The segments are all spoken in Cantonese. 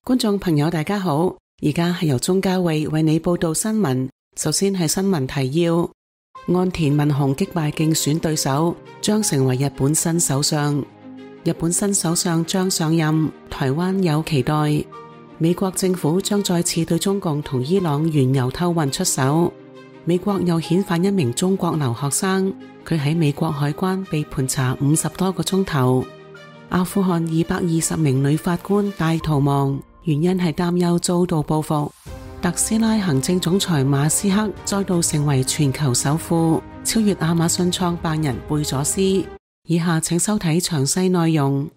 觀眾朋友大家好，而家係由鍾嘉慧為你報道新聞。首先係新聞提要：岸田文雄擊敗競選對手，將成為日本新首相。日本新首相將上任，台灣有期待。美國政府將再次對中共同伊朗原油偷運出手。美國又遣返一名中國留學生，佢喺美國海關被盤查50多個鐘頭。阿富汗220名女法官大逃亡，原因係擔憂遭到報復。特斯拉行政總裁馬斯克再度成為全球首富，超越亞馬遜創辦人貝佐斯。以下請收睇詳細內容。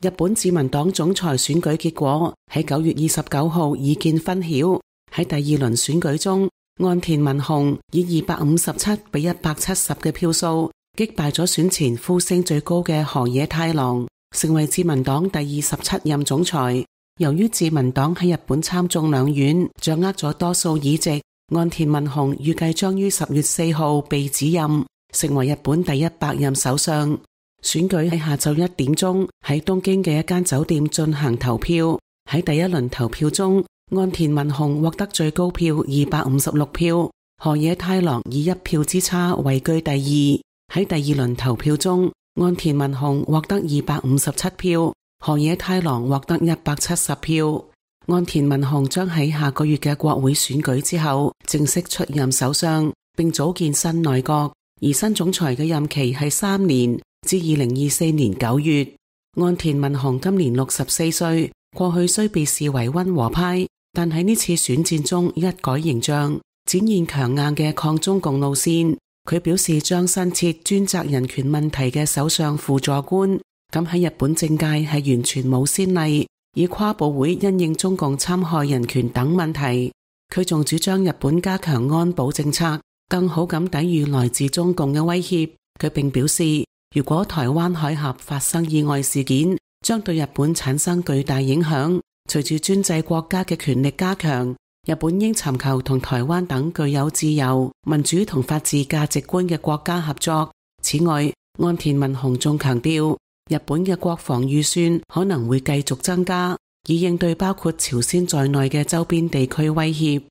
日本自民黨總裁選舉結果喺9月29號已見分曉。喺第二輪選舉中，岸田文雄以257比170嘅票數擊敗咗選前呼聲最高嘅河野太郎，成為自民黨第27任總裁。由於自民黨喺日本參眾兩院掌握咗多數議席，岸田文雄預計將於10月4號被指任，成為日本第100任首相。選舉喺下晝1點鐘喺東京嘅一間酒店進行投票。喺第一輪投票中，岸田文雄獲得最高票256票，河野太郎以1票之差位居第二。喺第二輪投票中，岸田文雄獲得257票，河野太郎獲得170票。岸田文雄將喺下個月嘅國會選舉之後正式出任首相，並組建新內閣，而新總裁嘅任期係3年，至2024年9月。岸田文雄今年64歲，過去雖被視為溫和派，但喺呢次選戰中一改形象，展現強硬嘅抗中共路線。佢表示將新設專責人權問題嘅首相輔助官，咁喺日本政界係完全冇先例，以跨部會因應中共侵害人權等問題。佢仲主張日本加強安保政策，更好咁抵禦來自中共嘅威脅。佢並表示，如果台灣海峽發生意外事件，將對日本產生巨大影響。隨住專制國家嘅權力加強，日本應尋求同台灣等具有自由、民主同法治價值觀嘅國家合作。此外，岸田文雄仲強調，日本嘅國防預算可能會繼續增加，以應對包括朝鮮在內嘅周邊地區威脅。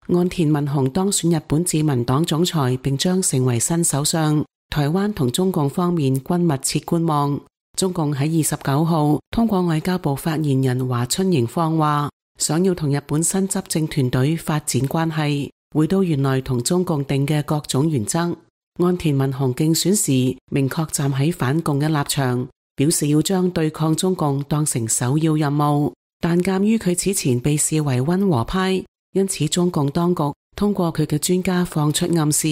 岸田文雄當選日本自民黨總裁，並將成為新首相。台灣同中共方面均密切觀望。中共喺29號通過外交部發言人華春瑩放話，想要同日本新執政團隊發展關係，回到原來同中共定嘅各種原則。岸田文雄競選時明確站喺反共嘅立場，表示要將對抗中共當成首要任務。但鑒於佢此前被視為溫和派，因此中共當局通過佢嘅專家放出暗示，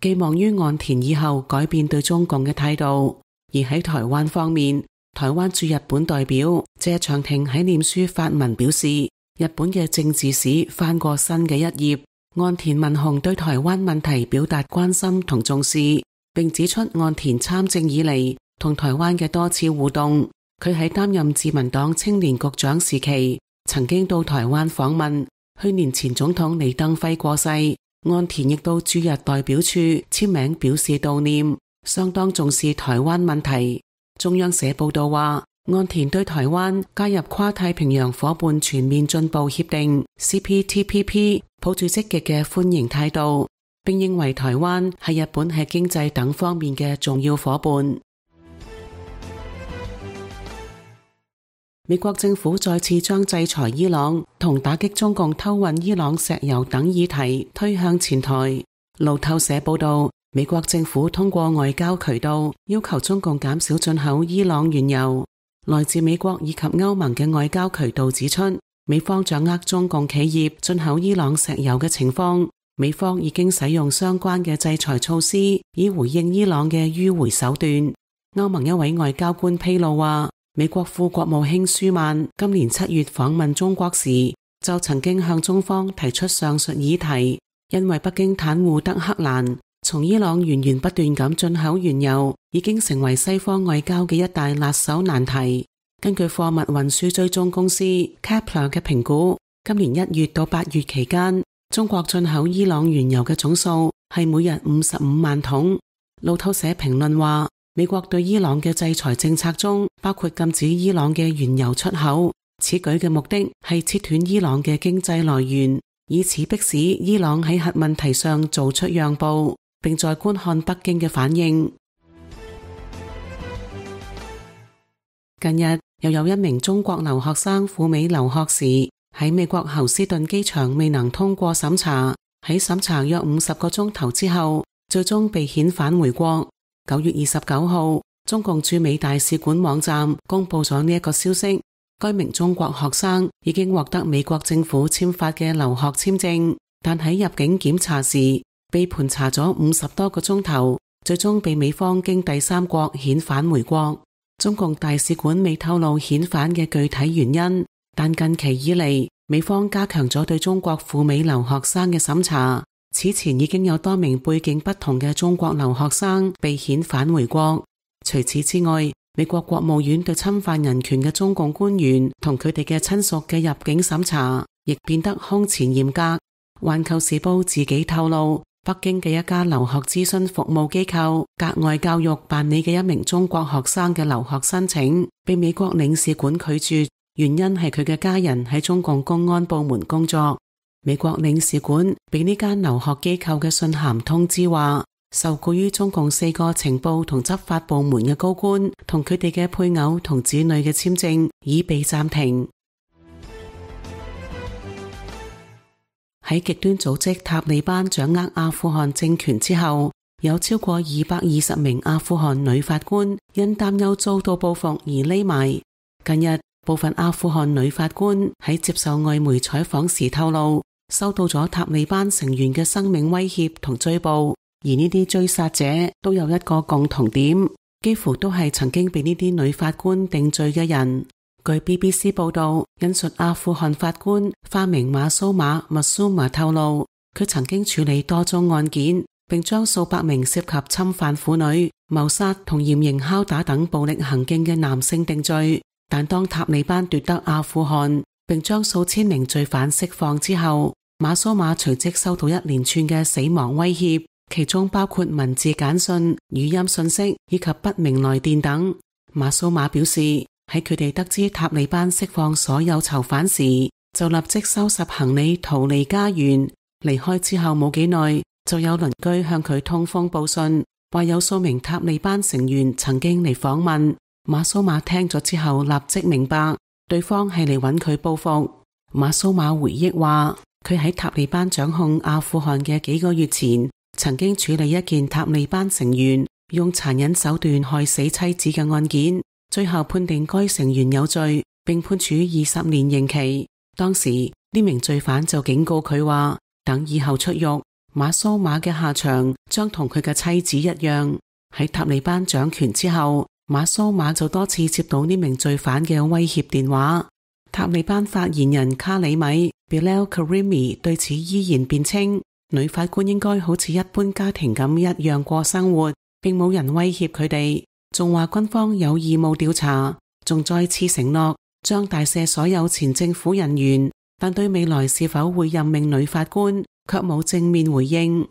寄望於岸田以後改變對中共嘅態度。而喺台灣方面，台灣駐日本代表謝長廷喺臉書發文表示，日本嘅政治史翻過新嘅一頁。岸田文雄對台灣問題表達關心同重視，並指出岸田參政以嚟同台灣嘅多次互動。佢喺擔任自民黨青年局長時期，曾經到台灣訪問。去年前總統李登輝過世，岸田亦到駐日代表處簽名表示悼念，相當重視台灣問題。中央社報道話，岸田對台灣加入跨太平洋夥伴全面進步協定 CPTPP 抱住積極嘅歡迎態度，並認為台灣係日本喺經濟等方面嘅重要夥伴。美國政府再次將制裁伊朗同打擊中共偷運伊朗石油等議題推向前台。路透社報道，美國政府通過外交渠道要求中共減少進口伊朗原油。來自美國以及歐盟嘅外交渠道指出，美方掌握中共企業進口伊朗石油嘅情況，美方已經使用相關嘅制裁措施以回應伊朗嘅迂回手段。歐盟一位外交官披露話，美國副國務卿舒曼今年7月訪問中國時，就曾經向中方提出上述議題，因為北京袒護德黑蘭，從伊朗源源不斷咁進口原油，已經成為西方外交嘅一大辣手難題。根據貨物運輸追蹤公司 Kepler 嘅評估，今年1月到8月期間，中國進口伊朗原油嘅總數係每日55萬桶。路透社評論話，美國對伊朗嘅制裁政策中包括禁止伊朗嘅原油出口，此舉嘅目的係切斷伊朗嘅經濟來源，以此迫使伊朗喺核問題上做出讓步，並在觀看北京嘅反應。近日又有一名中國留學生赴美留學時，喺美國侯斯頓機場未能通過審查，喺審查約50個鐘頭之後，最終被遣返回國。9月29號，中共駐美大使館網站公布咗呢一個消息，該名中國學生已經獲得美國政府簽發嘅留學簽證，但喺入境檢查時被盤查咗50多個鐘頭，最終被美方經第三國遣返回國。中共大使館未透露遣返嘅具體原因，但近期以嚟，美方加強咗對中國赴美留學生嘅審查。此前已經有多名背景不同嘅中國留學生被遣返回國。除此之外，美國國務院對侵犯人權嘅中共官員同佢哋嘅親屬嘅入境審查亦變得空前嚴格。環球時報自己透露，北京嘅一家留學諮詢服務機構格外教育辦理嘅一名中國學生嘅留學申請被美國領事館拒絕，原因係佢嘅家人喺中共公安部門工作。美國領事館俾呢間留學機構嘅信函通知話，受雇於中共4個情報同執法部門嘅高官同佢哋嘅配偶同子女嘅簽證已被暫停。喺極端組織塔利班掌握阿富汗政權之後，有超過220名阿富汗女法官因擔憂遭到報復而匿埋。近日，部分阿富汗女法官喺接受外媒採訪時透露，收到咗塔利班成員嘅生命威脅同追捕，而呢啲追殺者都有一個共同點，幾乎都係曾經被呢啲女法官定罪嘅人。據 BBC 報道，引述阿富汗法官化名馬蘇馬麥蘇馬透露，佢曾經處理多宗案件，並將數百名涉及侵犯婦女、謀殺同嚴刑拷打等暴力行徑嘅男性定罪。但當塔利班奪得阿富汗，並將數千名罪犯釋放之後，馬蘇馬隨即收到一連串嘅死亡威脅，其中包括文字簡訊、語音訊息以及不明來電等。馬蘇馬表示，喺佢哋得知塔利班釋放所有囚犯時，就立即收拾行李逃離家園。離開之後冇幾耐，就有鄰居向佢通風報信，話有數名塔利班成員曾經嚟訪問。馬蘇馬聽咗之後立即明白，對方係嚟揾佢報復。馬蘇馬回憶話，佢喺塔利班掌控阿富汗嘅幾個月前，曾經處理一件塔利班成員用殘忍手段害死妻子嘅案件，最後判定該成員有罪，並判處20年刑期。當時呢名罪犯就警告佢話，等以後出獄，馬蘇馬嘅下場將同佢嘅妻子一樣。喺塔利班掌權之後，馬蘇馬就多次接到呢名罪犯嘅威脅電話。塔利班發言人卡里米 Bilal Karimi 對此依然辯稱，女法官應該好似一般家庭咁一樣過生活，並冇人威脅佢哋，仲話軍方有義務調查，仲再次承諾將大赦所有前政府人員，但對未來是否會任命女法官卻冇正面回應。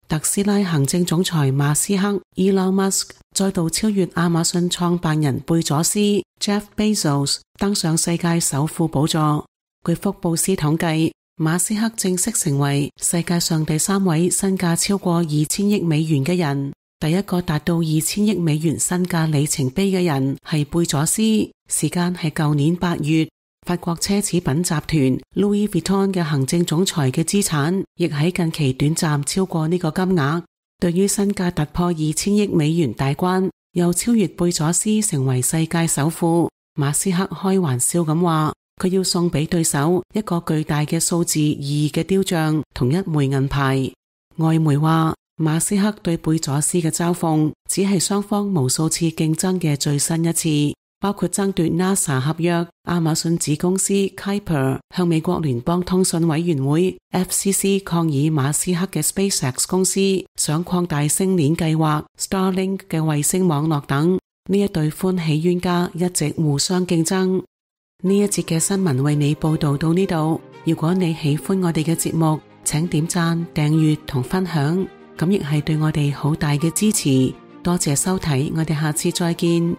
特斯拉行政總裁馬斯克 Elon Musk 再度超越亞馬遜創辦人貝佐斯 Jeff Bezos 登上世界首富寶座。據福布斯統計，馬斯克正式成為世界上第3位身價超過2000億美元嘅人，第一個達到2000億美元身價里程碑嘅人係貝佐斯，時間係舊年8月。法國奢侈品集團 Louis Vuitton 嘅行政總裁嘅資產亦喺近期短暫超過呢個金額。對於身價突破2000億美元大關，又超越貝佐斯成為世界首富，馬斯克開玩笑咁話，佢要送俾對手一個巨大嘅數字2嘅雕像同一枚銀牌。外媒話，馬斯克對貝佐斯嘅嘲諷只係雙方無數次競爭嘅最新一次，包括爭奪 NASA 合約。亞馬遜子公司 Kuiper 向美國聯邦通訊委員會 FCC 抗議馬斯克嘅 SpaceX 公司想擴大星鏈計劃 Starlink 嘅衛星網絡等。呢一對歡喜冤家一直互相競爭。呢一節嘅新聞為你報道到呢度。如果你喜歡我哋嘅節目，請點讚、訂閱同分享，咁亦係對我哋好大嘅支持。多謝收睇，我哋下次再見。